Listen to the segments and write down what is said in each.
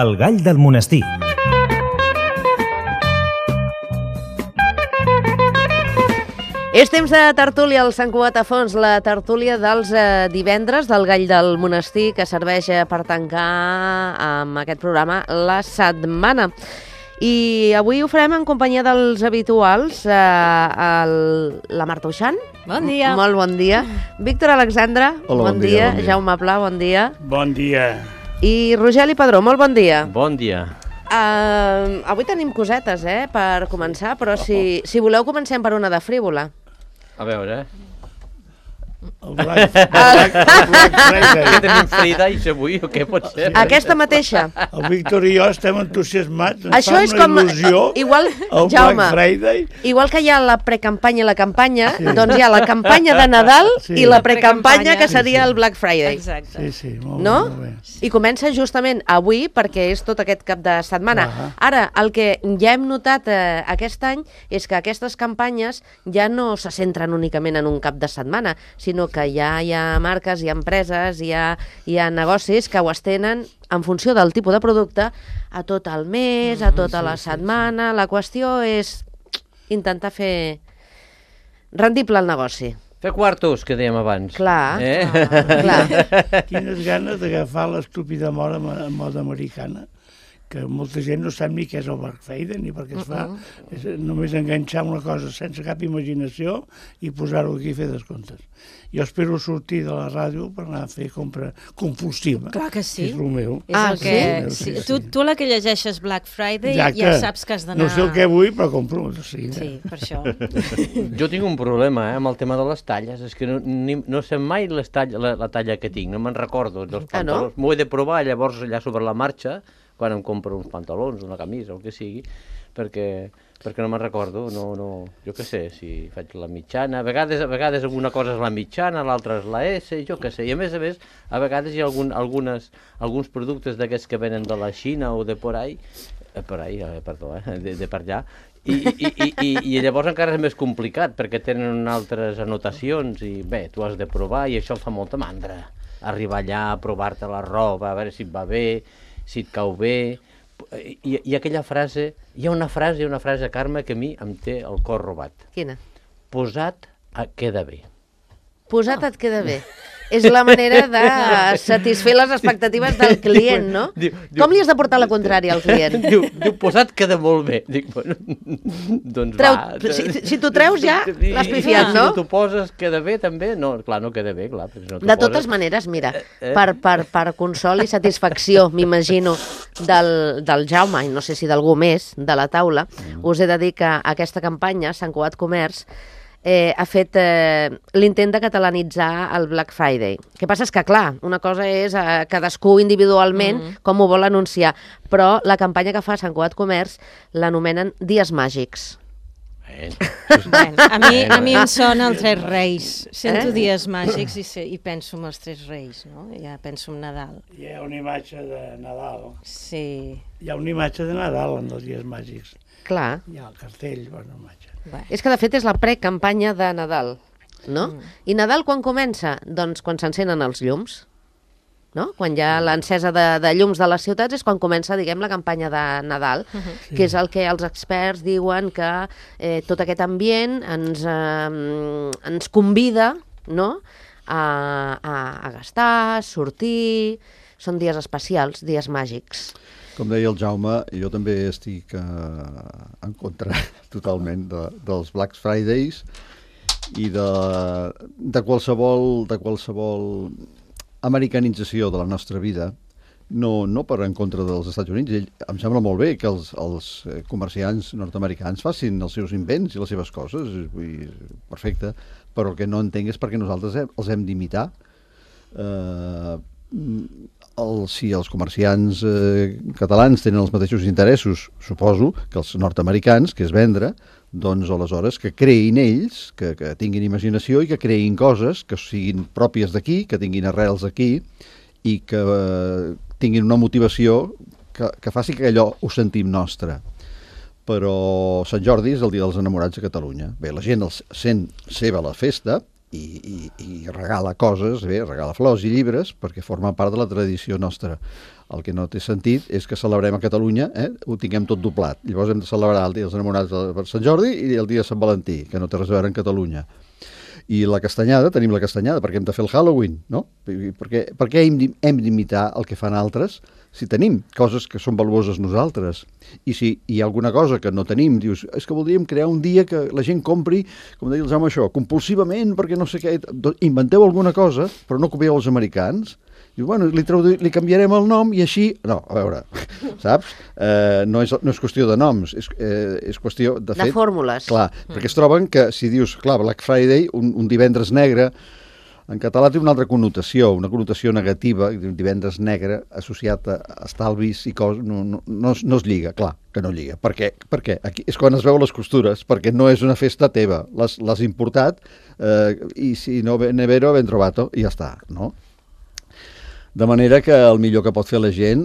El gall del monestir. És temps de tertúlia al Sant Cugat a Fons, la tertúlia dels divendres del Gall del Monestir, que serveix per tancar amb aquest programa la setmana. I avui ho farem en companyia dels habituals, la Marta Uixant. Bon dia. Molt bon dia. Víctor Alexandre, Hola, bon dia. bon dia. Jaume Pla, bon dia. Bon dia. I Rogeli Padró, molt bon dia. Bon dia. Avui tenim cosetes, per començar, però si voleu comencem per una de frívola. A veure, El Black Friday. que tenim Fridays avui o què pot ser? Aquesta mateixa. El Víctor i jo estem entusiasmats. Ens Això fa és una com... il·lusió Igual, el Jaume, Black Friday. igual que hi ha la precampanya i la campanya, doncs hi ha la campanya de Nadal Sí. i la precampanya, que Sí, seria sí. el Black Friday. Exacte. Sí, molt, No? molt bé. I comença justament avui, perquè és tot aquest cap de setmana. Ara, el que ja hem notat aquest any és que aquestes campanyes ja no se centren únicament en un cap de setmana, sinó que ja hi ha marques, hi ha empreses, hi ha negocis que ho estenen en funció del tipus de producte a tot el mes, a tota la setmana. La qüestió és intentar fer rendible el negoci. Fer quartos, que dèiem abans. Clar, Eh? clar. Quines ganes d'agafar l'estúpida moda americana, que molta gent no sap ni què és el Black Friday ni per què es fa. És només enganxar una cosa sense cap imaginació i posar-ho aquí i fer descomptes. Jo espero sortir de la ràdio per anar a fer compra compulsiva. Clar que sí. És el meu. És Ah, el que... sí? Sí. Tu la que llegeixes Black Friday Exacte. ja saps que has d'anar... No sé el que vull, però compro. Sí, Sí, per això. Jo tinc un problema amb el tema de les talles. És que no sé mai la talla que tinc, no me'n recordo dels Ah, no? pantalons. M'ho he de provar llavors allà sobre la marxa, quan em compro uns pantalons, una camisa, el que sigui, perquè no me'n recordo, jo què sé, si faig la mitjana, a vegades alguna cosa és la mitjana, l'altra és la S, jo què sé, i a més, a vegades hi ha alguns productes d'aquests que venen de la Xina o de por ahí, de per allà, i llavors encara és més complicat, perquè tenen altres anotacions, i bé, tu has de provar, i això em fa molta mandra, arribar allà, provar-te la roba, a veure si et va bé, si et cau bé. I aquella frase, hi ha una frase, Carme, que a mi em té el cor robat. Quina? Posat queda bé. Posat et queda bé. És la manera de satisfer les expectatives del client, no? Com li has de portar la contrària al client? Diu, posat queda molt bé. Dic, bueno, doncs va. Si t'ho treus ja, l'has pifiat, no? Si t'ho poses, queda bé també? No, clar, no queda bé, clar. Si no De totes maneres, mira, per consol i satisfacció, m'imagino, del Jaume, i no sé si d'algú més, de la taula, us he de dir que aquesta campanya, Sant Cugat Comerç, ha fet l'intent de catalanitzar el Black Friday. El que passa és que, clar, una cosa és cadascú individualment com ho vol anunciar, però la campanya que fa Sant Cugat Comerç l'anomenen Dies Màgics. Bueno, a mi em sona el Tres Reis. Sento dies màgics i penso en els Tres Reis, no? Ja penso en Nadal. Hi ha una imatge de Nadal. Sí. Hi ha una imatge de Nadal en els dies màgics. Clar. Hi ha el cartell, bona imatge. Bé. És que, de fet, és la precampanya de Nadal, no? I Nadal quan comença? Doncs quan s'encenen els llums, no? Quan hi ha l'encesa de llums de les ciutats és quan comença, diguem, la campanya de Nadal, que és el que els experts diuen que tot aquest ambient ens convida, no?, a gastar, a sortir. Són dies especials, dies màgics. Com deia el Jaume, jo també estic en contra totalment dels Black Fridays i de qualsevol americanització de la nostra vida, no per en contra dels Estats Units. Em sembla molt bé que els comerciants nord-americans facin els seus invents i les seves coses, perfecte, però el que no entenc és perquè nosaltres els hem d'imitar. Si els comerciants catalans tenen els mateixos interessos, suposo, que els nord-americans, que és vendre, doncs aleshores que creïn ells, que tinguin imaginació i que creïn coses que siguin pròpies d'aquí, que tinguin arrels aquí i que tinguin una motivació que faci que allò ho sentim nostre. Però Sant Jordi és el dia dels enamorats a Catalunya. Bé, la gent sent seva la festa i regala coses, regala flors i llibres, perquè forma part de la tradició nostra. El que no té sentit és que celebrem a Catalunya, ho tinguem tot doblat. Llavors hem de celebrar el dia dels enamorats per Sant Jordi i el dia de Sant Valentí, que no té res a veure en Catalunya. I la castanyada, tenim la castanyada, perquè hem de fer el Halloween, no? Per què hem d'imitar el que fan altres si tenim coses que són valuoses nosaltres? I si hi ha alguna cosa que no tenim, dius, és que voldríem crear un dia que la gent compri, com deia el Jaume això, compulsivament, perquè no sé què, inventeu alguna cosa, però no copieu els americans. Diu, bueno, li canviarem el nom i així... No, a veure, saps? No és qüestió de noms, és qüestió de fet... De fórmules. Clar, perquè es troben que si dius, clar, Black Friday, un divendres negre, en català té una altra connotació, una connotació negativa, un divendres negre associat a estalvis i coses, no es lliga, clar, que no lliga. Per què? Perquè aquí és quan es veu les costures, perquè no és una festa teva, l'has importat i si no ben vero, ben trovato, i ja està, no? De manera que el millor que pot fer la gent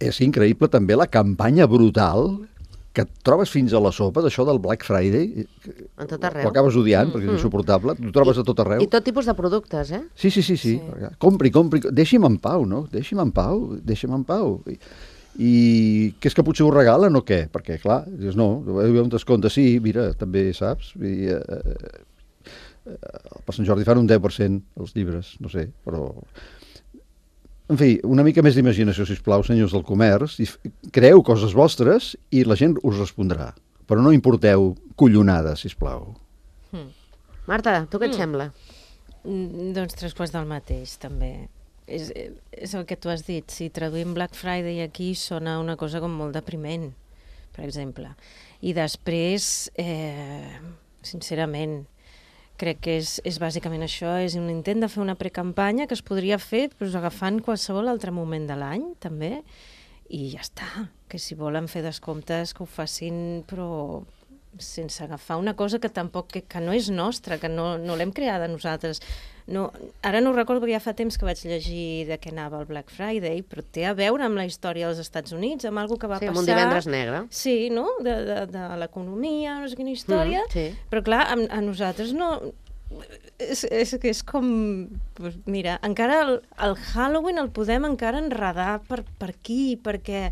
és increïble també la campanya brutal que et trobes fins a la sopa d'això del Black Friday. A tot arreu. Ho acabes odiant perquè és insuportable. Ho trobes a tot arreu. I tot tipus de productes, eh? Sí. Compri. Deixi'm en pau, no? Deixi'm en pau. I que és que potser ho regalen o què? Perquè, clar, dius, no, hi ha un descompte, sí, mira, també saps. Per Sant Jordi fan un 10% els llibres, no sé, però... En fi, una mica més d'imaginació, sisplau, senyors del comerç, creeu coses vostres i la gent us respondrà. Però no importeu collonades, sisplau. Marta, tu què et sembla? Doncs 3/4 del mateix, també. És el que tu has dit. Si traduïm Black Friday aquí sona una cosa com molt depriment, per exemple. I després, sincerament, crec que és bàsicament això, és un intent de fer una precampanya que es podria fer agafant qualsevol altre moment de l'any, també, i ja està. Que si volen fer descomptes, que ho facin, però sense agafar una cosa que tampoc que no és nostra, que no l'hem creada nosaltres. No, ara no ho recordo perquè ja fa temps que vaig llegir de què anava el Black Friday, però té a veure amb la història dels Estats Units, amb alguna que va passar... Sí, amb un divendres negre. Sí, no? De l'economia, no sé quina història. Sí. Però clar, a nosaltres no... És com... Pues mira, encara el Halloween el podem encara enredar per aquí, perquè...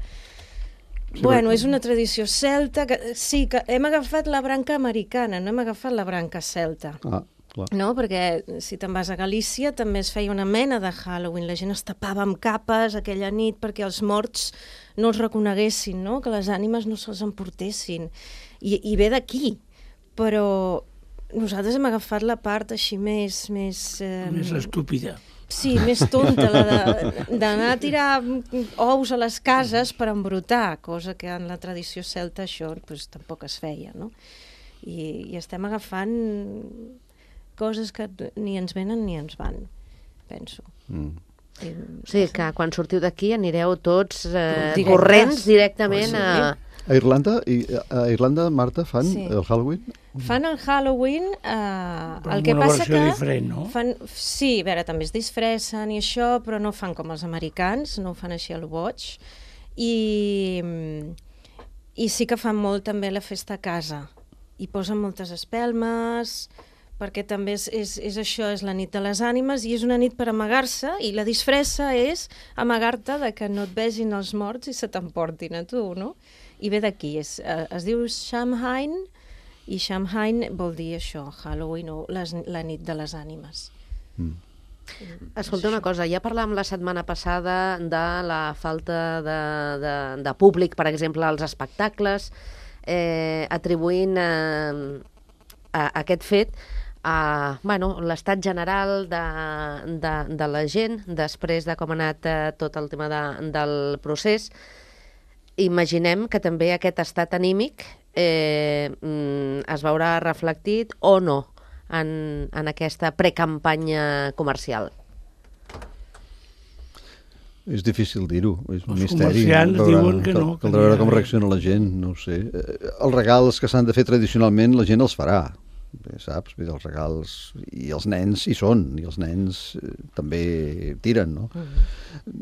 Bueno, és una tradició celta, que sí, que hem agafat la branca americana, no hem agafat la branca celta. Clar. No, perquè si te'n vas a Galícia també es feia una mena de Halloween, la gent es tapava amb capes aquella nit perquè els morts no els reconeguessin, no? Que les ànimes no se'ls emportessin. I ve d'aquí, però nosaltres hem agafat la part així més estúpida. Sí, més tonta, d'anar a tirar ous a les cases per embrutar, cosa que en la tradició celta això pues, tampoc es feia, no? I estem agafant coses que ni ens venen ni ens van, penso. O sigui que quan sortiu d'aquí anireu tots corrents directament a... A Irlanda, Marta, fan el Halloween? Fan el Halloween, el que una passa versió que... diferent, no? Sí, a veure, també es disfressen i això, però no fan com els americans, no ho fan així a lo boig. I sí que fan molt també la festa a casa. Hi posen moltes espelmes, perquè també és això, és la nit de les ànimes, i és una nit per amagar-se, i la disfressa és amagar-te de que no et vegin els morts i se t'emportin a tu, no? I ve d'aquí, es diu Samhain, i Samhain vol dir això, Halloween o la nit de les ànimes. Escolta una cosa, ja parlàvem la setmana passada de la falta de públic, per exemple, als espectacles, atribuint a aquest fet a l'estat general de la gent després de com ha anat tot el tema del procés. Imaginem que també aquest estat anímic es veurà reflectit o no en aquesta precampanya comercial. És difícil dir-ho, és un Els misteri. comerciants diuen que no. Caldrà veure com reacciona la gent, no ho sé. Els regals que s'han de fer tradicionalment la gent els farà, saps? Els regals, i els nens hi són, i els nens també tiren, no?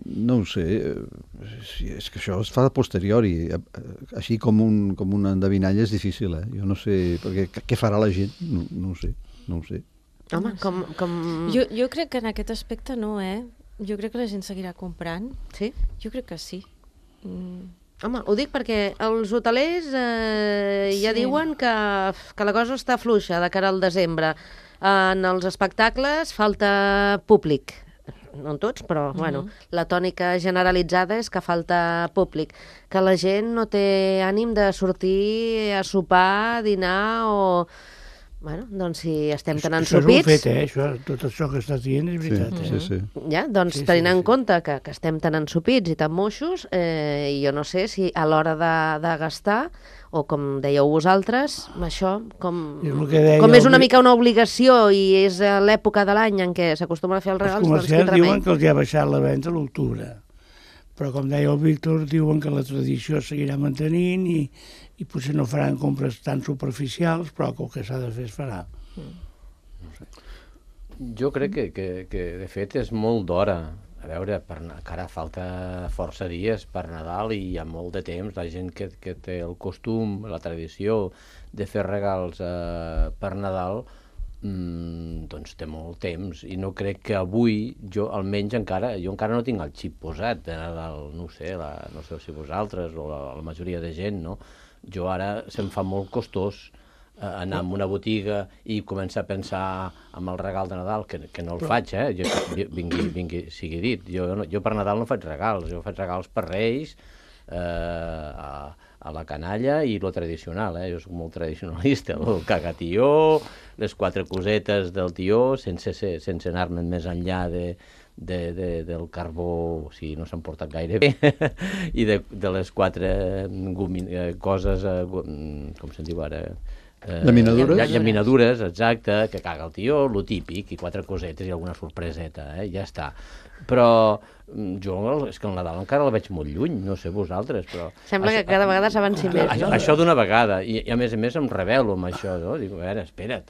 No ho sé, és que això es fa a posteriori, així com una endevinalla és difícil, jo no sé, perquè què farà la gent? No ho sé. Home, com... Jo crec que en aquest aspecte no, Jo crec que la gent seguirà comprant. Sí? Jo crec que sí. Home, ho dic perquè els hotelers ja diuen que la cosa està fluixa de cara al desembre. En els espectacles falta públic. No en tots, però bueno, la tònica generalitzada és que falta públic. Que la gent no té ànim de sortir a sopar, a dinar o... Bueno, doncs si estem tan ensopits... Això és un fet, tot això que estàs dient és veritat. Sí. Ja, doncs tenint en compte que estem tan ensopits i tan moixos, jo no sé si a l'hora de gastar, o com dèieu vosaltres, això, com és una mica una obligació i és l'època de l'any en què s'acostumen a fer els regals, doncs quin remei. Els comerciants diuen que els ha baixat la venda a l'octubre, però com deia el Víctor, diuen que la tradició seguirà mantenint i potser no faran compres tan superficials, però que el que s'ha de fer es farà. Jo crec que de fet és molt d'hora. A veure, encara falta força dies per Nadal i hi ha molt de temps. La gent que té el costum, la tradició de fer regals per Nadal, doncs té molt temps. I no crec que avui, jo encara no tinc el xip posat de Nadal, no sé si vosaltres o la majoria de gent, no? Jo ara se'm fa molt costós anar a una botiga i començar a pensar en el regal de Nadal, que no el faig, vingui, sigui dit. Jo per Nadal no faig regals, jo faig regals per Reis, a la canalla i lo tradicional, jo soc molt tradicionalista, el cagatió, les 4 cosetes del tió, sense anar-me'n més enllà del carbó, o sigui, no s'han portat gaire bé, i de les 4 coses, com se'n diu ara? Llaminadures? Llaminadures, exacte, que caga el tió, lo típic, i 4 cosetes i alguna sorpreseta, ja està. Però jo és que el Nadal encara el veig molt lluny, no sé vosaltres, però... Sembla que cada vegada s'avanci més, no? Això d'una vegada, i a més em rebel·lo amb això, no? Dic, a veure, espera't,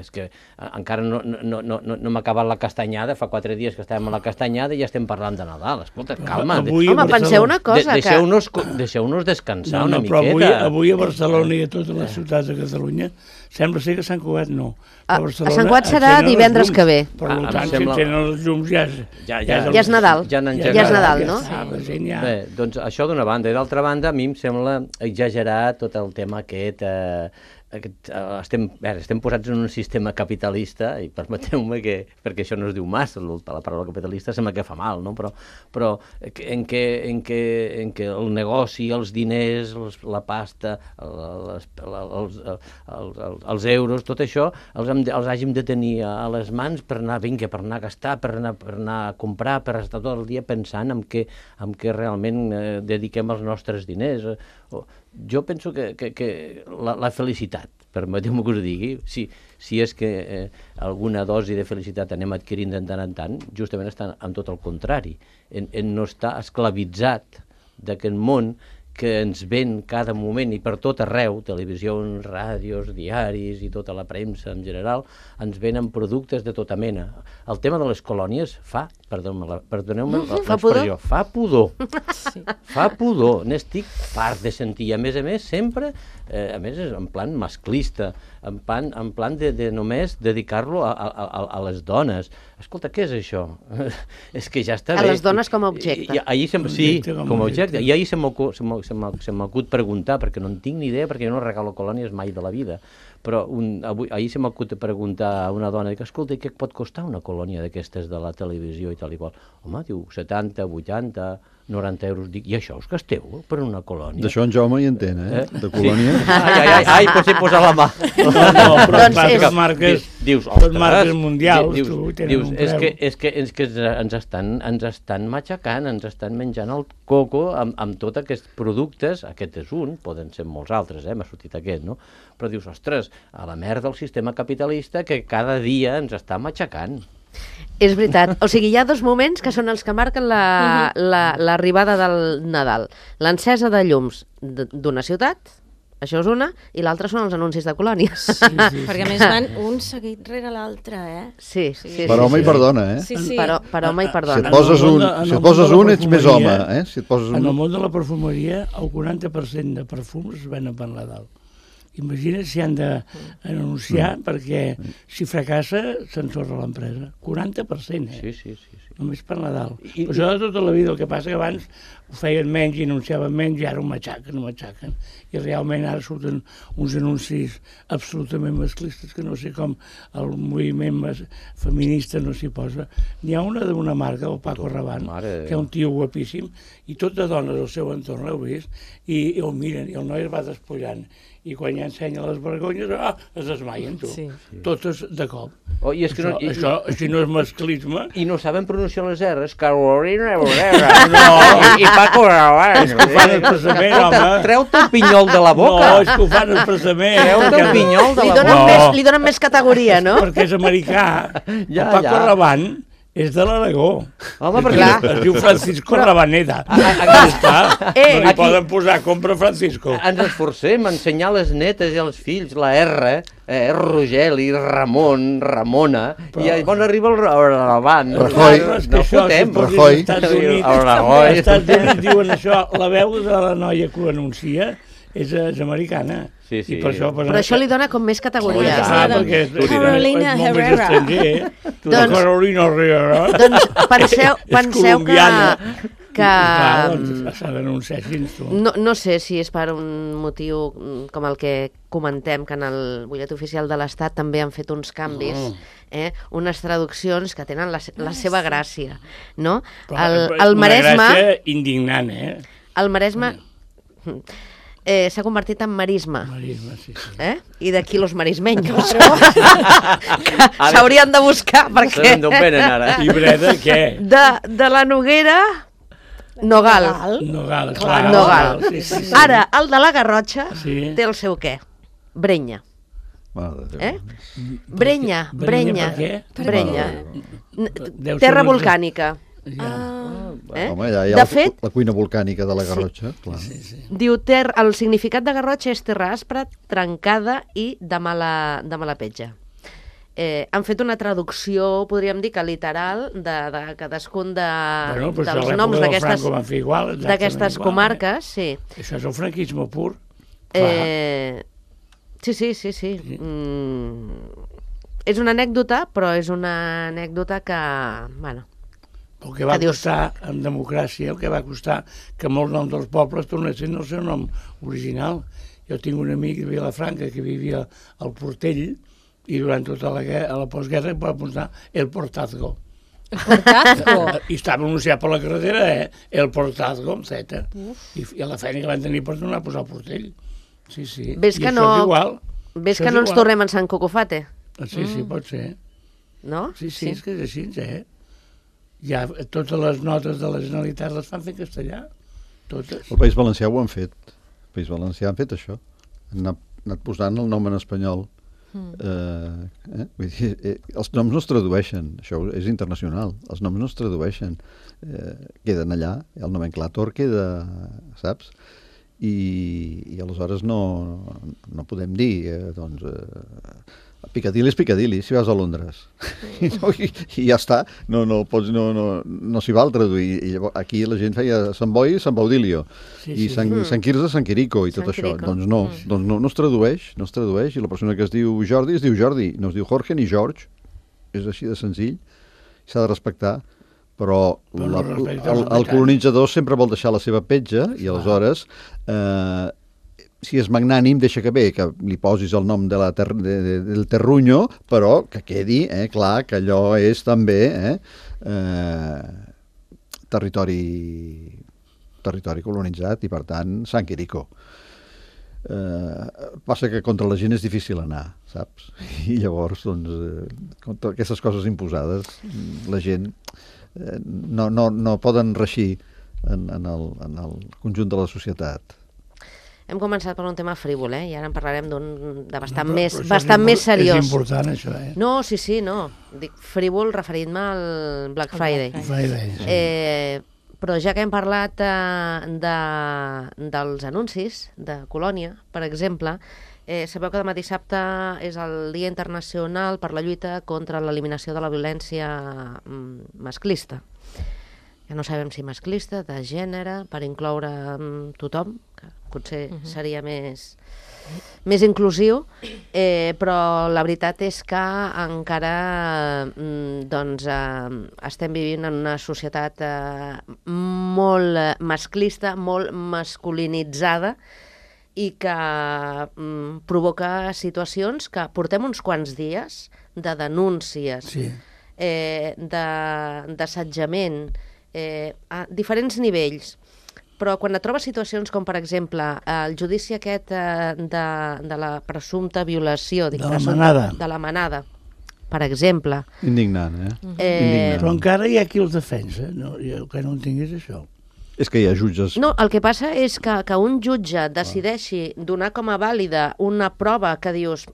és que encara no m'ha acabat la castanyada, fa 4 dies que estàvem a la castanyada i ja estem parlant de Nadal, escolta, calma. Home, penseu una cosa, Deixeu-nos descansar una miqueta. Però avui a Barcelona i a totes les ciutats de Catalunya sembla ser que Sant Cugat no. A Sant Cugat serà divendres que ve. Per tant, si tenen els llums ja és Nadal. Ja és Nadal, no? Bé, doncs això d'una banda. I d'altra banda, a mi em sembla exagerar tot el tema aquest... Estem posats en un sistema capitalista, i permeteu-me perquè això no es diu massa, la paraula capitalista sembla que fa mal, no? Però en què el negoci, els diners, la pasta, els euros, tot això els hàgim de tenir a les mans per anar a gastar, per anar a comprar, per estar tot el dia pensant en què realment dediquem els nostres diners. Jo penso que la felicitat, permeteu-me que us digui, si és que alguna dosi de felicitat anem adquirint de tant en tant, justament està en tot el contrari, en no estar esclavitzat d'aquest món que ens ven cada moment i per tot arreu, televisions, ràdios, diaris i tota la premsa en general, ens venen productes de tota mena. El tema de les colònies perdoneu-me l'expressió, fa pudor. Fa pudor. N'estic fart de sentir. A més, sempre, a més, en plan masclista, en plan de només dedicar-lo a les dones. Escolta, què és això? És que ja està bé. A les dones com a objecte. Sí, com a objecte. I ahir se m'acut preguntar, perquè no en tinc ni idea, perquè jo no regalo colònies mai de la vida, però ahir se m'acut preguntar a una dona, dic, escolta, què pot costar una colònia d'aquestes de la televisió i tal i qual? Home, diu, 70, 80, 90 euros. Dic, i això us gasteu per una colònia? D'això en Jaume hi entén, de colònia. Ai, potser posar la mà. No, però les marques mundials, dius, és que ens estan matxacant, ens estan menjant el coco amb tots aquests productes. Aquest és un, poden ser molts altres, m'ha sortit aquest, no? Però dius, ostres, a la merda del sistema capitalista que cada dia ens està matxacant. És veritat. O sigui, hi ha 2 moments que són els que marquen l'arribada del Nadal. L'encesa de llums d'una ciutat, això és una, i l'altra són els anuncis de colònies. Sí. Perquè a més van un seguit rere l'altre, Sí. Per home i per dona, Sí. Per home i per dona. Si et poses un, ets més home, En el món de la perfumeria, el 40% de perfums es venen per Nadal. Imagina't si han d'anunciar, perquè si fracassa s'ensorra l'empresa. 40%, Sí. Només per Nadal. Però això de tota la vida, el que passa que abans ho feien menys i anunciaven menys i ara ho matxaquen. I realment ara surten uns anuncis absolutament masclistes que no sé com el moviment feminista no s'hi posa. N'hi ha una d'una marca, el Paco Rabanne, que és un tio guapíssim, i tot de dones al seu entorn l'heu vist, i el miren, i el noi es va despullant. I quan ja ensenya les vergonyes, es desmaien, tu. Sí. Totes de cop. Oh, i és que això, si no és masclisme... I no saben pronunciar les R's. Carolina Herrera. No. I Paco Rabanne. És que ho fan expressament, home. Treu-te el pinyol de la boca. No, és que ho fan expressament. Treu-te el pinyol de la boca. Li donen més categoria, no? Perquè és americà. El Paco Rabanne és de l'Aragó. Home, perquè... Es diu Francisco Rabaneda. No li poden posar compra Francisco. Ens esforcem a ensenyar les netes i als fills la R, Rogeli, Ramon, Ramona, i llavors arriba el Rabanne. Rajoy. No fotem. Rajoy. Als Estats Units diuen això, la veu de la noia que ho anuncia és americana. Sí, sí. I per això, però això li dona com més categoria. Perquè Carolina Herrera. Carolina Herrera. Doncs penseu que s'ha d'anunciar així. No sé si és per un motiu com el que comentem, que en el butllet oficial de l'Estat també han fet uns canvis, unes traduccions que tenen la seva gràcia, no? El Maresme... Una gràcia indignant, El Maresme... s'ha convertit en marisme. Marisme, sí. I d'aquí los marismeños. S'haurien de buscar, perquè... Sabem d'on venen, ara. I Breda, què? De la Noguera, Nogal. Clar. Nogal. Sí. Ara, el de la Garrotxa té el seu què? Brenya. Brenya. Terra volcànica. Home, ja hi ha la cuina volcànica de la Garrotxa. Diu, el significat de Garrotxa és terra aspra, trencada i de mala petja. Han fet una traducció, podríem dir que literal, de cadascun dels noms d'aquestes comarques. Sí. Això és el franquisme pur. Sí. És una anècdota, però és una anècdota que, bueno... El que va costar, en democràcia, el que va costar que molts noms dels pobles tornessin al seu nom original. Jo tinc un amic de Vilafranca que vivia al Portell i durant tota la postguerra va posar El Portazgo. El Portazgo? I estava anunciat per la carretera, El Portazgo, amb Z. I a la feina que van tenir per tornar a posar el Portell. Sí. Ves que no ens tornem en Sant Cocofate? Sí, pot ser. No? Sí, és que és així, Ja totes les notes de la Generalitat les fan fer en castellà, totes. El País Valencià ho han fet. El País Valencià han fet això. Han anat posant el nom en espanyol. Vull dir, els noms no es tradueixen, això és internacional. Els noms no es tradueixen. Queden allà, el nomenclàtor queda, saps? I aleshores no podem dir, Piccadilly és Piccadilly, si vas a Londres. I ja està, no s'hi val traduir. I llavors, aquí la gent feia Sant Boi, Sant Baudilio, i Sant Quirze, Sant Quirico, i tot això. Doncs no es tradueix, i la persona que es diu Jordi, no es diu Jorge ni George, és així de senzill, s'ha de respectar, però el colonitzador sempre vol deixar la seva petja, i aleshores... si és magnànim, deixa que li posis el nom del terruño, però que quedi clar que allò és també territori colonitzat i, per tant, Sant Quirico. Passa que contra la gent és difícil anar, saps? I llavors, contra aquestes coses imposades, la gent no poden reixir en el conjunt de la societat. Hem començat per un tema frívol, i ara en parlarem de bastant més seriós. És important, això, No, sí, no. Dic frívol referint-me al Black Friday. Però ja que hem parlat dels anuncis de Colònia, per exemple, sabeu que demà dissabte és el Dia Internacional per la lluita contra l'eliminació de la violència masclista. Ja no sabem si masclista, de gènere, per incloure tothom, que potser seria més inclusiu, però la veritat és que encara estem vivint en una societat molt masclista, molt masculinitzada, i que provoca situacions que portem uns quants dies de denúncies, d'assetjament, a diferents nivells. Però quan et trobes situacions com, per exemple, el judici aquest de la presumpta violació... De la manada. De la manada, per exemple. Indignant, Indignant. Però encara hi ha qui els defensa. No, jo que no entenc és això. És que hi ha jutges... No, el que passa és que un jutge decideixi donar com a vàlida una prova que dius...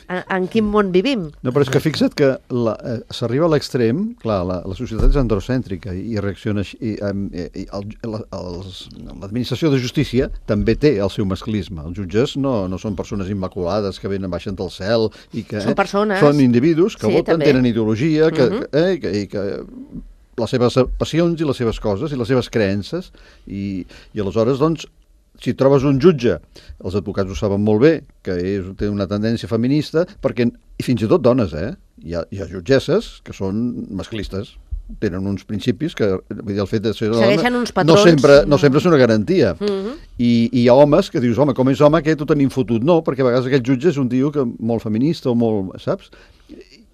En quin món vivim? No, però és que fixa't que s'arriba a l'extrem, clar, la societat és androcèntrica i reacciona així, l'administració de justícia també té el seu masclisme. Els jutges no són persones immaculades que baixen del cel i que... Són persones. Són individus que voten, també. tenen ideologia, que les seves passions i les seves coses i les seves creences i aleshores, doncs, si trobes un jutge, els advocats ho saben molt bé, que té una tendència feminista, i fins i tot dones, hi ha jutgesses que són masclistes, tenen uns principis que, vull dir, el fet de ser dona... Segueixen uns patrons. No sempre és una garantia. I hi ha homes que dius, home, com és home, aquest ho tenim fotut. No, perquè a vegades aquest jutge és un tio molt feminista o molt, saps?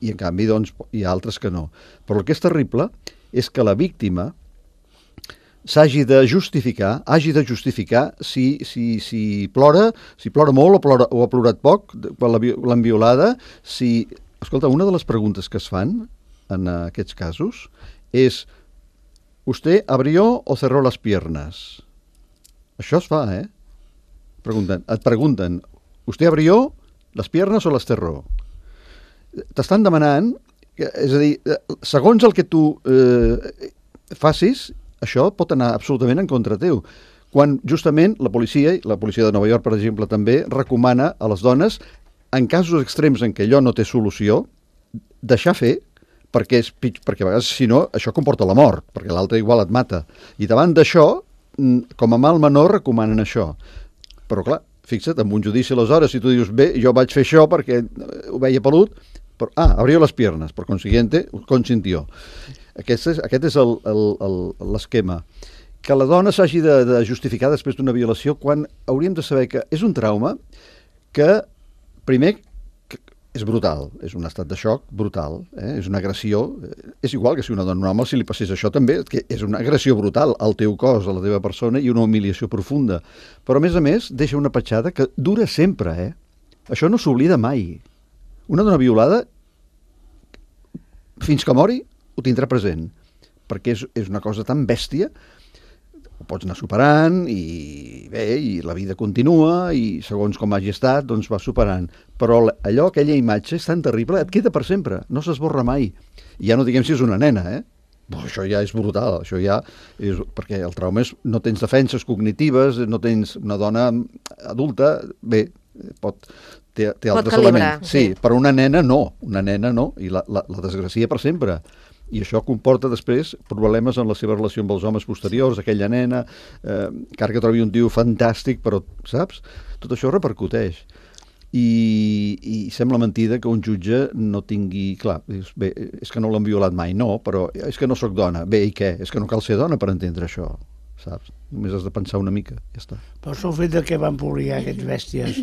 I en canvi, doncs, hi ha altres que no. Però el que és terrible és que la víctima hagi de justificar si plora molt o ha plorat poc quan l'han violada. Escolta, una de les preguntes que es fan en aquests casos és ¿usted abrió o cerró las piernas? Això es fa, Et pregunten ¿usted abrió las piernas o las cerró? T'estan demanant, és a dir, segons el que tu facis, això pot anar absolutament en contra teu. Quan justament la policia de Nova York, per exemple, també recomana a les dones, en casos extrems en què allò no té solució, deixar fer, perquè a vegades, si no, això comporta la mort, perquè l'altre igual et mata. I davant d'això, com a mal menor, recomanen això. Però clar, fixa't, amb un judici aleshores, si tu dius, bé, jo vaig fer això perquè ho veia pelut, però, abrió les piernas, per consiguiente, consintió. Aquest és l'esquema. Que la dona s'hagi de justificar després d'una violació quan hauríem de saber que és un trauma que, primer, és brutal, és un estat de xoc brutal, és una agressió, és igual que si una dona normal, si li passés això també, que és una agressió brutal al teu cos, a la teva persona, i una humiliació profunda. Però, a més, deixa una petjada que dura sempre, Això no s'oblida mai. Una dona violada, fins que mori, ho tindrà present, perquè és una cosa tan bèstia, ho pots anar superant i bé, i la vida continua i segons com hagi estat, doncs va superant. Però aquella imatge és tan terrible, et queda per sempre, no s'esborra mai. I ja no diguem si és una nena, Però això ja és brutal, això ja és... perquè el trauma és no tens defenses cognitives, no tens una dona adulta, bé, té altres elements. Sí, però una nena no, i la desgracia per sempre. I això comporta després problemes en la seva relació amb els homes posteriors, aquella nena, encara que trobi un tio fantàstic, però, saps? Tot això repercuteix. I sembla mentida que un jutge no tingui... Clar, bé, és que no l'han violat mai, no, però és que no sóc dona. Bé, i què? És que no cal ser dona per entendre això, saps? Només has de pensar una mica, ja està. Però el fet que van publicar aquests bèsties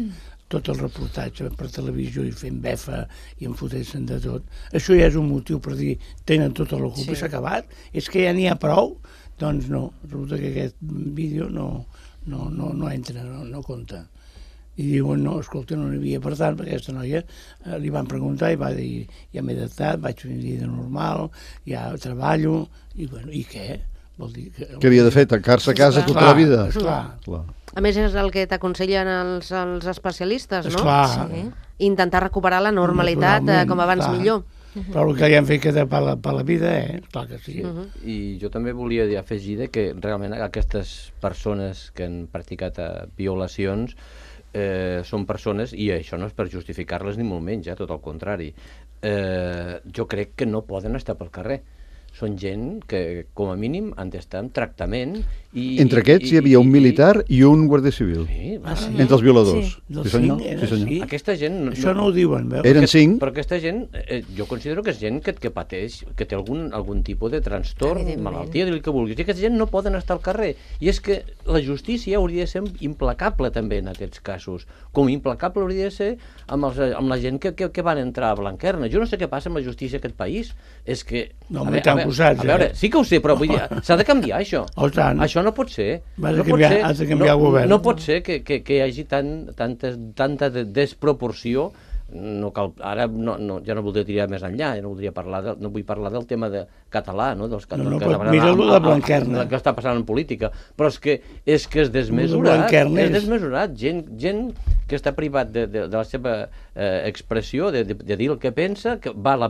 tot el reportatge per televisió i fent befa i enfotent-se'n de tot, això ja és un motiu per dir tenen tota la culpa i s'ha acabat, és que ja n'hi ha prou, doncs no, resulta que aquest vídeo no entra, no compta. I diuen, no, escolta, no n'hi havia, per tant, perquè aquesta noia li van preguntar i va dir, ja m'he adaptat, vaig fer una vida normal, ja treballo, i bueno, i què? Vol dir que... Què havia de fer, tancar-se a casa tota la vida? Esclar. A més, és el que t'aconsellen els especialistes, no? Esclar. Sí. Intentar recuperar la normalitat com abans millor. Però el que li han fet queda per la vida, clar que sí. I jo també volia afegir que realment aquestes persones que han practicat violacions són persones, i això no és per justificar-les ni molt menys, tot el contrari. Jo crec que no poden estar pel carrer. són gent que, com a mínim, han d'estar en tractament. Entre aquests hi havia un militar i un guàrdia civil. Sí, entre els violadors. Dels Sí, senyor. 5 Sí, senyor. sí. Aquesta gent... Això no ho diuen, veus? Eren 5. Però aquesta gent, jo considero que és gent que pateix, que té algun tipus de trastorn, malaltia, dir el que vulguis. I aquesta gent no poden estar al carrer. I és que la justícia hauria de ser implacable també en aquests casos. Com implacable hauria de ser amb la gent que van entrar a Blanquerna. Jo no sé què passa amb la justícia d'aquest país. És que... No, m'hi t'han posat, a veure, sí que ho sé, però vull dir, s'ha de canviar això. Oh, tant. Això no pot ser. Has de canviar el govern. No pot ser que hi hagi tanta desproporció. No cal, ara ja no voldria tirar més enllà, no vull parlar del tema català, no? Mira-lo de Blanquerna. El que està passant en política, però és que és desmesurat, gent que està privat de la seva expressió, de dir el que pensa, que va a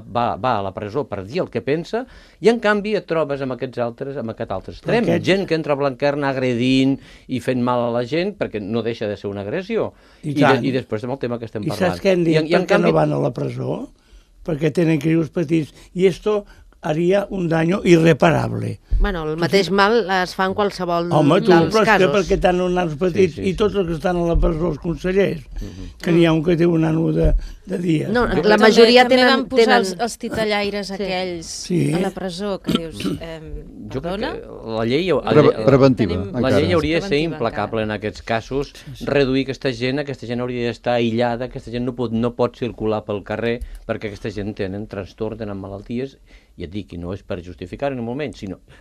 la presó per dir el que pensa, i en canvi et trobes amb aquest altre extrem, gent que entra a Blanquerna agredint i fent mal a la gent, perquè no deixa de ser una agressió. I després amb el tema que estem parlant. I saps què han dit? Per què no van a la presó? Perquè tenen crios petits. I esto haria un daño irreparable. Bueno, el mateix mal es fa en qualsevol dels casos. Però és que perquè tenen nans petits i tots els que estan a la presó, els consellers, que n'hi ha un que té un nano de dies. No, la majoria també tenen... van posar els titellaires aquells a la presó, que dius... Perdona? La llei... Preventiva. La llei hauria de ser implacable en aquests casos, reduir aquesta gent hauria d'estar aïllada, aquesta gent no pot circular pel carrer, perquè aquesta gent tenen trastorn, tenen malalties, i et dic, i no és per justificar en un moment,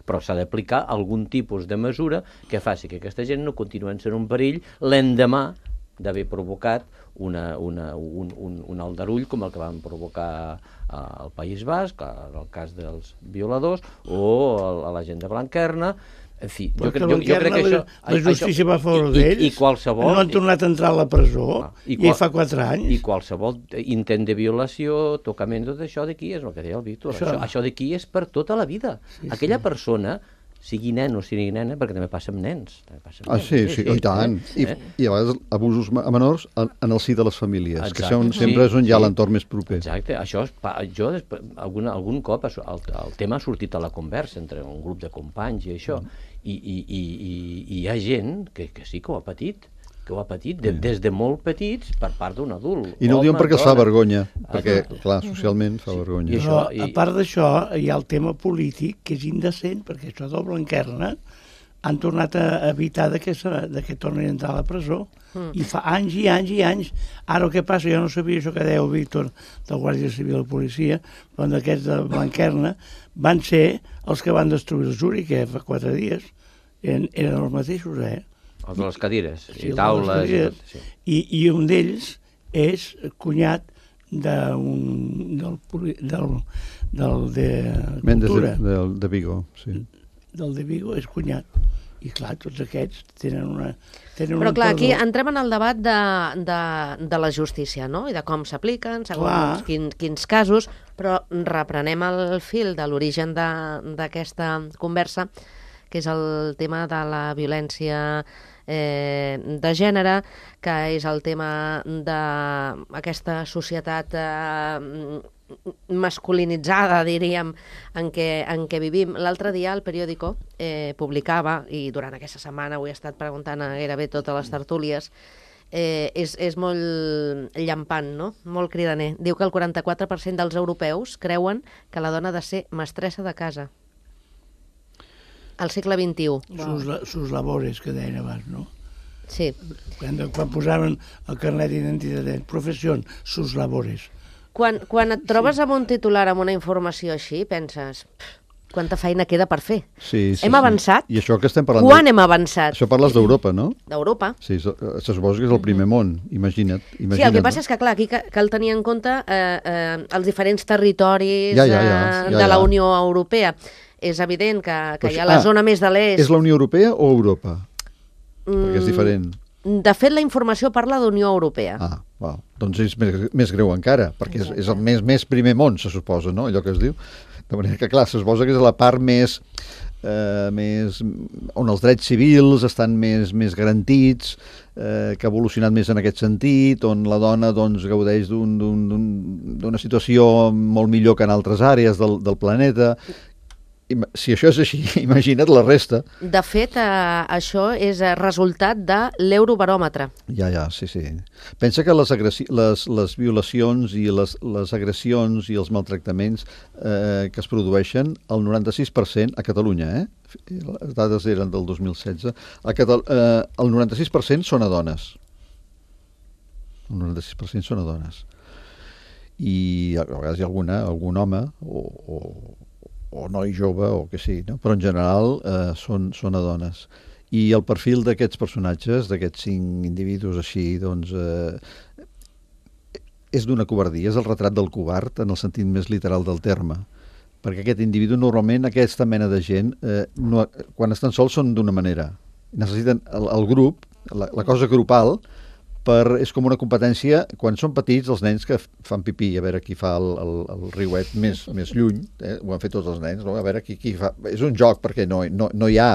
però s'ha d'aplicar algun tipus de mesura que faci que aquesta gent no continuï sent un perill l'endemà d'haver provocat un aldarull com el que van provocar al País Basc, en el cas dels violadors, o a la gent de Blanquerna. En fi, jo crec que això... La justícia va a favor d'ells, no han tornat a entrar a la presó, i fa 4 anys. I qualsevol intent de violació, tocament, tot això d'aquí és el que deia el Víctor. Això d'aquí és per tota la vida. Aquella persona, sigui nen o sigui nena, perquè també passa amb nens. Sí, i tant. I a vegades abusos a menors en el si de les famílies, que sempre és on hi ha l'entorn més proper. Exacte. Això algun cop el tema ha sortit a la conversa entre un grup de companys i això, i hi ha gent que sí que ho ha patit, des de molt petits per part d'un adult. I no ho diuen perquè els fa vergonya, perquè, clar, socialment fa vergonya. Però, a part d'això, hi ha el tema polític, que és indecent, perquè això del Blanquerna han tornat a evitar que tornin a entrar a la presó. I fa anys i anys i anys. Ara el que passa, jo no sabia això que deia el Víctor del Guàrdia Civil i Policia, però d'aquests de Blanquerna van ser els que van destruir el Juri, que fa 4 dies. Eren els mateixos, Els de les cadires i taules. I un d'ells és cunyat de Cultura. De Vigo, sí. Del de Vigo és cunyat. I clar, tots aquests tenen una... Però clar, aquí entrem en el debat de la justícia, no? I de com s'apliquen, segons quins casos, però reprenem el fil de l'origen d'aquesta conversa, que és el tema de la violència de gènere, que és el tema d'aquesta societat masculinitzada, diríem, en què vivim. L'altre dia el periòdico publicava, i durant aquesta setmana ho he estat preguntant a gairebé totes les tertúlies, és molt llampant, no? Molt cridaner. Diu que el 44% dels europeus creuen que la dona ha de ser mestressa de casa. Al segle XXI. Sus labores, que deien abans, no? Sí. Quan posaven el carnet d'identitat, professió, sus labores. Quan et trobes amb un titular, amb una informació així, penses, quanta feina queda per fer. Hem avançat? I això que estem parlant... Quan hem avançat? Això parles d'Europa, no? D'Europa. Sí, se suposa que és el primer món, imagina't. Sí, el que passa és que, clar, aquí cal tenir en compte els diferents territoris de la Unió Europea. És evident que hi ha la zona més de l'est... És la Unió Europea o Europa? Perquè és diferent. De fet, la informació parla d'Unió Europea. Doncs és més greu encara, perquè és el més primer món, se suposa, no? Allò que es diu. De manera que, clar, se suposa que és la part més on els drets civils estan més garantits, que ha evolucionat més en aquest sentit, on la dona gaudeix d'una situació molt millor que en altres àrees del planeta. si això és així, imagina't la resta. De fet, això és resultat de l'Eurobaròmetre. Ja, sí. Pensa que les violacions i les agressions i els maltractaments que es produeixen, el 96% a Catalunya, les dades eren del 2016, el 96% són a dones. El 96% són a dones. I a vegades hi ha algun home o noi jove o que sí, no? Però en general són a dones. I el perfil d'aquests personatges, d'aquests 5 individus així, doncs, és d'una covardia, és el retrat del covard en el sentit més literal del terme. Perquè aquest individu, normalment, aquesta mena de gent, quan estan sols són d'una manera. Necessiten el grup, la cosa grupal, és com una competència, quan són petits, els nens que fan pipí, a veure qui fa el riuet més lluny, ho han fet tots els nens, no? A veure qui fa... És un joc, perquè no hi ha...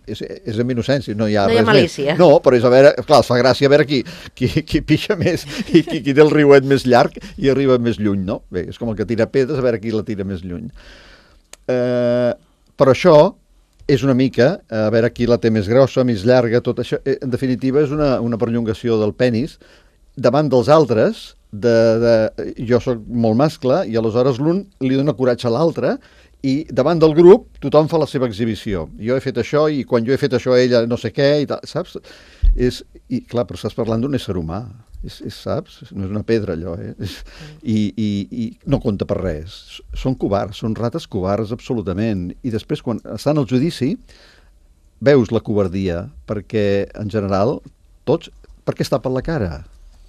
És amb innocència, no hi ha res malícia. Més. No, però és a veure... Clar, es fa gràcia a veure qui pixa més i qui té el riuet més llarg i arriba més lluny, no? Bé, és com el que tira pedres, a veure qui la tira més lluny. Però això és una mica, a veure qui la té més grossa, més llarga, tot això, en definitiva és una perllongació del penis davant dels altres, jo sóc molt mascle i aleshores l'un li dona coratge a l'altre i davant del grup tothom fa la seva exhibició. Jo he fet això i quan jo he fet això ella no sé què i tal, saps? I clar, però estàs parlant d'un ésser humà, saps? No és una pedra allò, I no compta per res. Són covards, són rates covards absolutament. I després quan estan al judici veus la covardia perquè en general tots, per què es tapen la cara?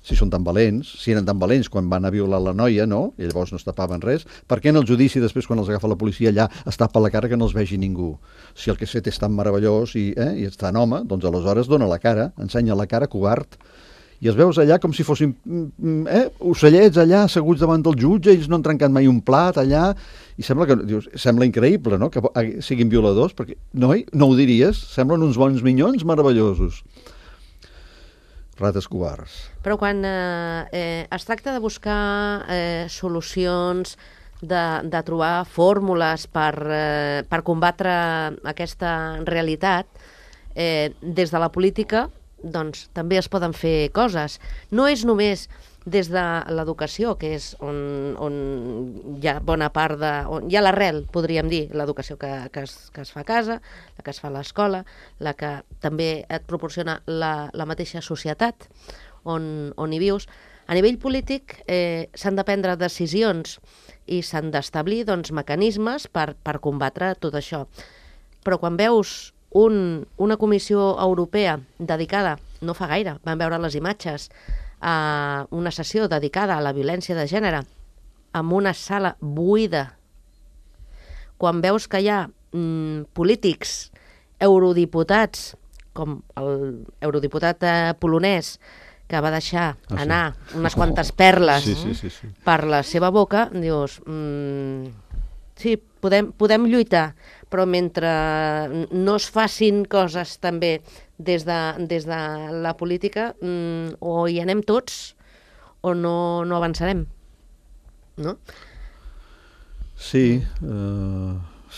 Si són tan valents, si eren tan valents quan van a violar la noia, no? I llavors no es tapaven res. Per què en el judici, després, quan els agafa la policia allà, es tapa la cara que no els vegi ningú? Si el que has fet és tan meravellós i és tan home, doncs aleshores dona la cara, ensenya la cara, covard. I els veus allà com si fossin ocellets allà, asseguts davant del jutge, ells no han trencat mai un plat allà, i sembla increïble, no?, que siguin violadors, perquè no ho diries, semblen uns bons minyons meravellosos. Rates covards. Però quan es tracta de buscar solucions, de trobar fórmules per combatre aquesta realitat, des de la política doncs també es poden fer coses. No és només des de l'educació, que és on hi ha bona part on hi ha l'arrel, podríem dir, l'educació que es fa a casa, la que es fa a l'escola, la que també et proporciona la mateixa societat on hi vius. A nivell polític s'han de prendre decisions i s'han d'establir mecanismes per combatre tot això. Però quan veus una comissió europea dedicada, no fa gaire, vam veure les imatges, a una sessió dedicada a la violència de gènere, amb una sala buida, quan veus que hi ha polítics, eurodiputats, com el eurodiputat polonès, que va deixar anar unes quantes perles per la seva boca, dius... Sí, podem lluitar, però mentre no es facin coses també des de la política, o hi anem tots o no avançarem, no? Sí,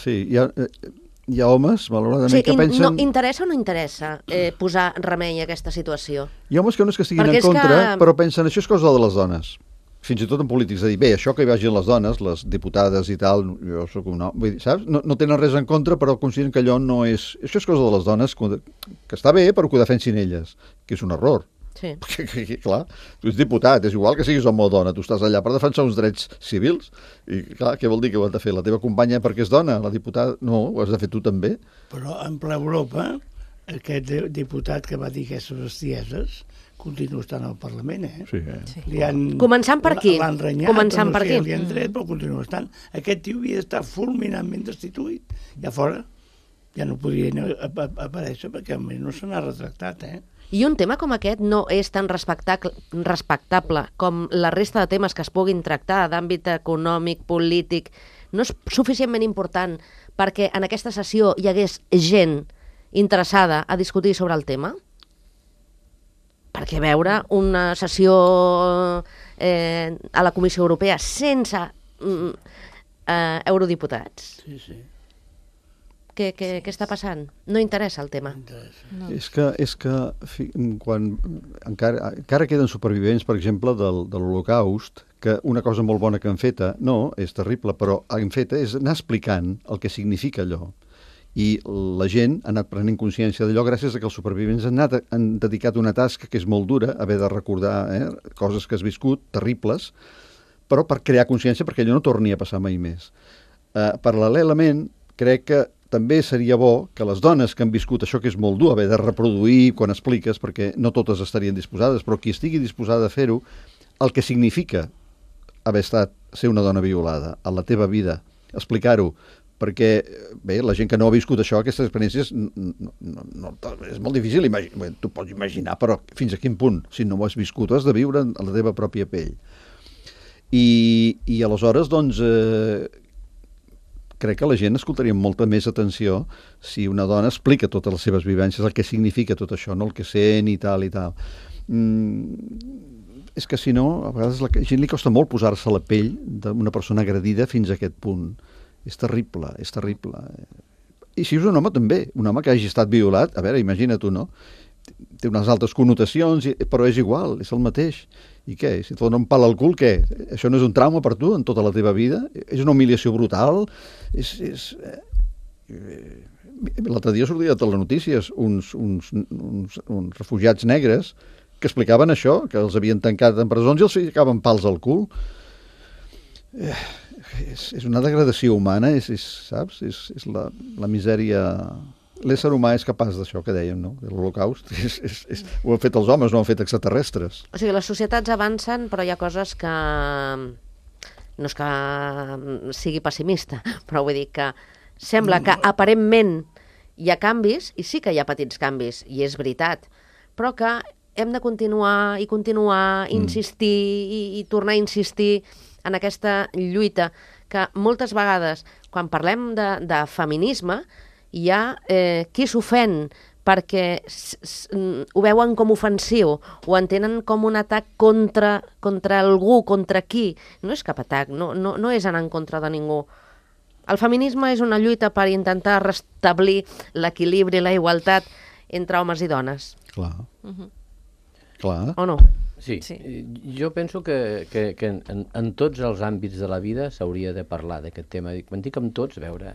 hi ha homes, malauradament, que pensen... Interessa o no interessa posar remei a aquesta situació? Hi ha homes que no és que estiguin en contra, però pensen, això és cosa de les dones. Fins i tot en polítics, dir, bé, això que hi vagin les dones, les diputades i tal, jo sóc un home, vull dir, saps? No tenen res en contra, però consideren que allò no és... Això és cosa de les dones, que està bé, però que ho defensin elles, que és un error. Sí. Perquè, clar, tu ets diputat, és igual que siguis home o dona, tu estàs allà per defensar uns drets civils, i clar, què vol dir que ho has de fer? La teva companya perquè és dona, la diputada... No, ho has de fer tu també. Però en ple Europa, aquest diputat que va dir aquestes bestieses continua estant al Parlament, Sí. Començant per aquí. L'han renyat, li han tret, però continua estant. Aquest tio havia d'estar fulminantment destituït. I a fora ja no podia aparèixer perquè almenys no se n'ha retractat, I un tema com aquest no és tan respectable com la resta de temes que es puguin tractar d'àmbit econòmic, polític. No és suficientment important perquè en aquesta sessió hi hagués gent interessada a discutir sobre el tema? Perquè veure una sessió a la Comissió Europea sense eurodiputats què està passant? No interessa el tema. No. És que quan encara queden supervivents, per exemple, de l'Holocaust, que una cosa molt bona que han feta, no, és terrible, però han feta és anar explicant el que significa allò. I la gent ha anat prenent consciència d'allò gràcies a que els supervivents han dedicat una tasca que és molt dura, haver de recordar coses que has viscut, terribles, però per crear consciència perquè allò no torni a passar mai més. Paral·lelament, crec que també seria bo que les dones que han viscut això que és molt dur, haver de reproduir quan expliques, perquè no totes estarien disposades, però qui estigui disposada a fer-ho, el que significa ser una dona violada a la teva vida, explicar-ho, perquè, bé, la gent que no ha viscut això, aquestes experiències, és molt difícil imaginar, tu pots imaginar, però fins a quin punt, si no ho has viscut, ho has de viure a la teva pròpia pell. I aleshores, doncs, crec que la gent escoltaria amb molta més atenció si una dona explica totes les seves vivències, el que significa tot això, no el que sent i tal i tal. És que si no, a vegades a la gent li costa molt posar-se a la pell d'una persona agredida fins a aquest punt. És terrible, és terrible. I si és un home també, un home que hagi estat violat, a veure, imagina't tu, no? Té unes altres connotacions, però és igual, és el mateix. I què? Si et donen un pal al cul, què? Això no és un trauma per tu en tota la teva vida? És una humiliació brutal? L'altre dia sortia a telenotícies uns refugiats negres que explicaven això, que els havien tancat en presons i els ficaven pals al cul. És una degradació humana, saps? És la misèria... L'ésser humà és capaç d'això que dèiem, no? De l'Holocaust. Ho han fet els homes, no ho han fet extraterrestres. O sigui, les societats avancen, però hi ha coses que... No és que sigui pessimista, però vull dir que sembla que aparentment hi ha canvis, i sí que hi ha petits canvis, i és veritat, però que hem de continuar, insistir i tornar a insistir en aquesta lluita, que moltes vegades, quan parlem de feminisme, hi ha qui s'ofèn perquè ho veuen com ofensiu, ho entenen com un atac contra algú, contra qui. No és cap atac, no és anar en contra de ningú. El feminisme és una lluita per intentar restablir l'equilibri i la igualtat entre homes i dones. Clar. Clar. O no? Sí. Jo penso que en tots els àmbits de la vida s'hauria de parlar d'aquest tema. Quan dic amb tots, a veure,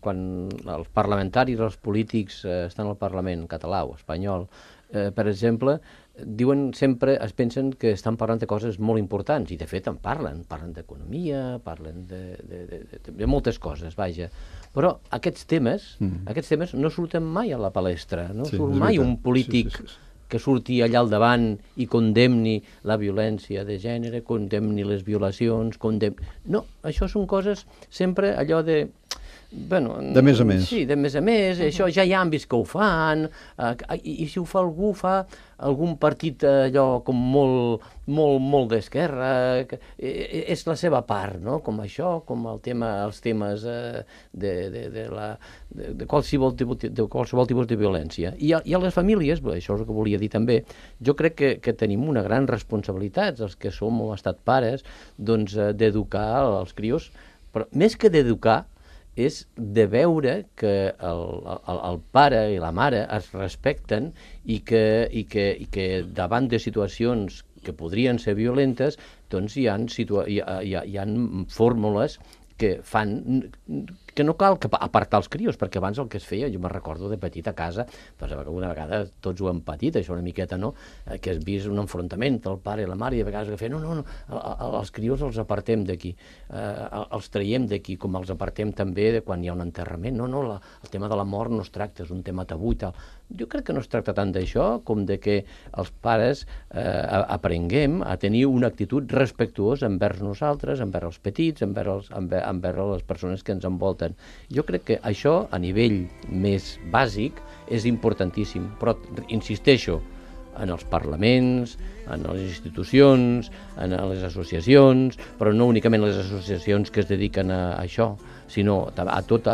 quan els parlamentaris, els polítics estan al Parlament català o espanyol, per exemple, diuen sempre, es pensen que estan parlant de coses molt importants, i de fet en parlen d'economia, parlen de moltes coses, vaja. Però aquests temes no surten mai a la palestra, no surt mai un polític que surti allà al davant i condemni la violència de gènere, condemni les violacions, No, això són coses sempre allò de... Bueno, de més a més. Sí, de més a més, això ja hi ha àmbits que ho fan, i si ho fa algú, fa algun partit allò com molt d'esquerra, és la seva part, no? Com això, com els temes de qualsevol tipus de violència. I a les famílies, això és el que volia dir també, jo crec que tenim una gran responsabilitat, els que som o hem estat pares, doncs d'educar els crios, però més que d'educar, és de veure que el pare i la mare es respecten i que davant de situacions que podrien ser violentes, doncs hi ha fórmules que fan que no cal apartar els crios, perquè abans el que es feia, jo me'n recordo de petit a casa, doncs una vegada tots ho hem patit, això una miqueta, no?, que has vist un enfrontament del pare i la mare, i a vegades que feien, no, els crios els apartem d'aquí, els traiem d'aquí, com els apartem també de quan hi ha un enterrament, el tema de la mort no es tracta, és un tema tabú i tal. Jo crec que no es tracta tant d'això com de que els pares aprenguem a tenir una actitud respectuosa envers nosaltres, envers els petits, envers les persones que ens envolten. Jo crec que això, a nivell més bàsic, és importantíssim, però insisteixo, en els parlaments, en les institucions, en les associacions, però no únicament les associacions que es dediquen a això, sinó a tot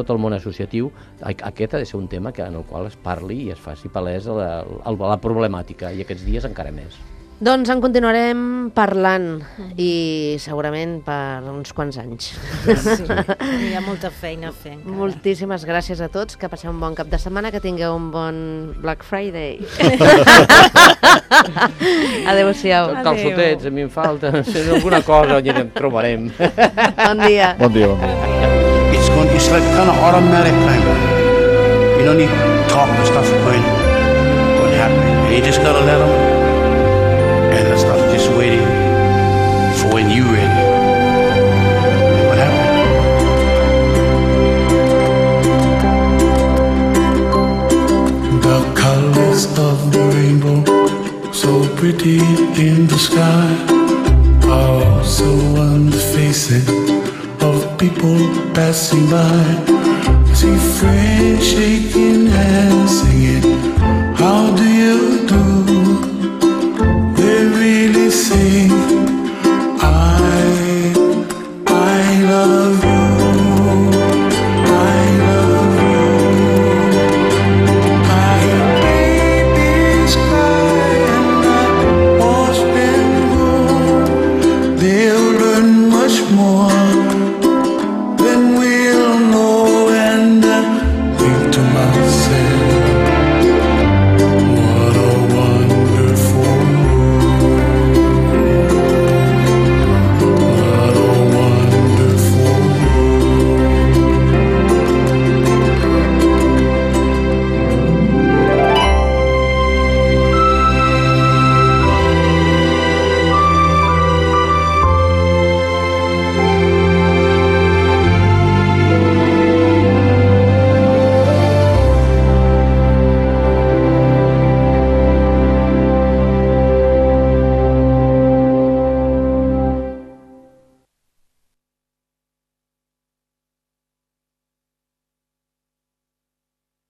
el món associatiu. Aquest ha de ser un tema en el qual es parli i es faci palès la problemàtica, i aquests dies encara més. Doncs en continuarem parlant i segurament per uns quants anys. Sí, hi ha molta feina a fer encara. Moltíssimes gràcies a tots, que passeu un bon cap de setmana, que tingueu un bon Black Friday. Adéu-siau. Calçotets, a mi em falta, si alguna cosa ja en trobarem. Bon dia. Bon dia, bon dia. It's like kind of automatic kind of. You don't need to talk and stuff going to happen. You just gotta let them. And the stuff just waiting for when you ready. And what happened? The colors of the rainbow, so pretty in the sky, are also on the faces of people passing by. See friends shaking hands, singing.